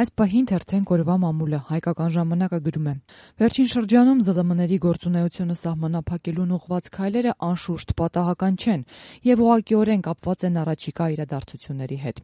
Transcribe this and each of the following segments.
Այս պահին թերթենք օրվա մամուլը հայկական ժամանակը գրում է. Վերջին շրջանում ԶԼՄ-ների գործունեությունը սահմանափակելուն ուղղված քայլերը անշուշտ պատահական չեն եւ ուղղակիորեն կապված են առաջիկա իրադարձությունների հետ։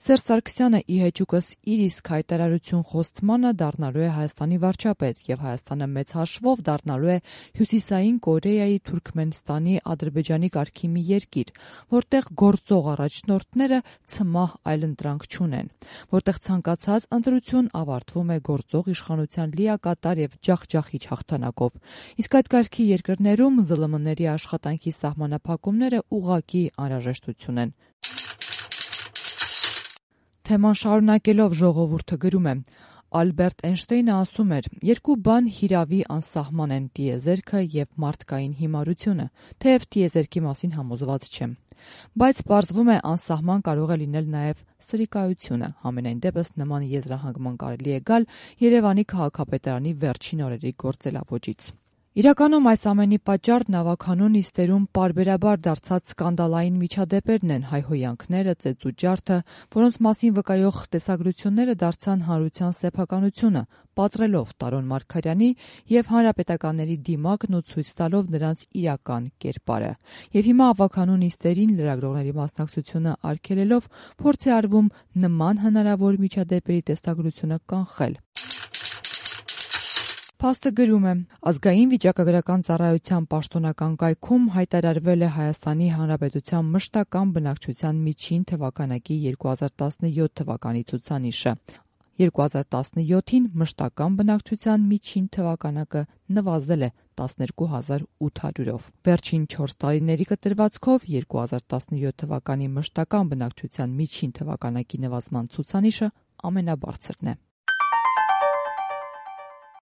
Սերժ Սարգսյանը ի հեճուկս իր իսկ հայտարարություն խոստմանը դառնալու է Հայաստանի վարչապետ եւ Հայաստանը մեծ հաշվով դառնալու է Հյուսիսային Կորեայի, Թուրքմենստանի, Ադրբեջանի կարգի մի երկիր, որտեղ գործող առաջնորդները ցմահ այլընտրանք չունեն, որտեղ ցանկացած ընտրություն ավարտվում է գործող իշխանության լիակատար եւ ջախջախիչ հաղթանակով։ Իսկ այդ կարգի երկրներում ԶԼՄ-ների աշխատանքի սահմանափակումները ուղղակի անհրաժեշտություն են։ Թեման շարունակելով ժողովուրդը գրում է. Ալբերտ Էյնշտեյնը ասում էր. երկու բան հիրավի անսահման են՝ տիեզերքը եւ մարդկային հիմարությունը, թեև տիեզերքի մասին համոզված չեմ։ Բայց պարզվում է անսահման կարող է լինել նաև սրիկայությունը։ Համենայն դեպս նման եզրահանգման կարելի է գալ Երևանի քաղաքապետարանի վերջին օրերի գործելավոճից։ Իրականում այս ամենի պատճառն ավագանու նիստերում պարբերաբար դարձած սկանդալային միջադեպերն են, հայհոյանքները, ծեծուջարդը, որոնց մասին վկայող տեսագրությունները դարձան հանրության սեփականությունը, պատռելով Տարոն Մարգարյանի եւ հանրապետականների դիմակն ու ցույց տալով նրանց իրական կերպարը։ Եվ հիմա ավագանու նիստերին լրագրողների մասնակցությունը արգելելով փորձ է արվում նման հնարավոր միջադեպերի տեսագրությունը կանխել։ Փաստը գրում է. Ազգային վիճակագրական ծառայության պաշտոնական կայքում հայտարարվել է Հայաստանի Հանրապետության մշտական բնակչության միջին թվականակի 2017 թվականի ցուցանիշը։ 2017-ին մշտական բնակչության միջին թվականակը նվազել է 12800-ով։ Վերջին 4 տարիների կտրվածքով 2017 թվականի մշտական բնակչության միջին թվականակի նվազման ցուցանիշը ամենաբարձրն է։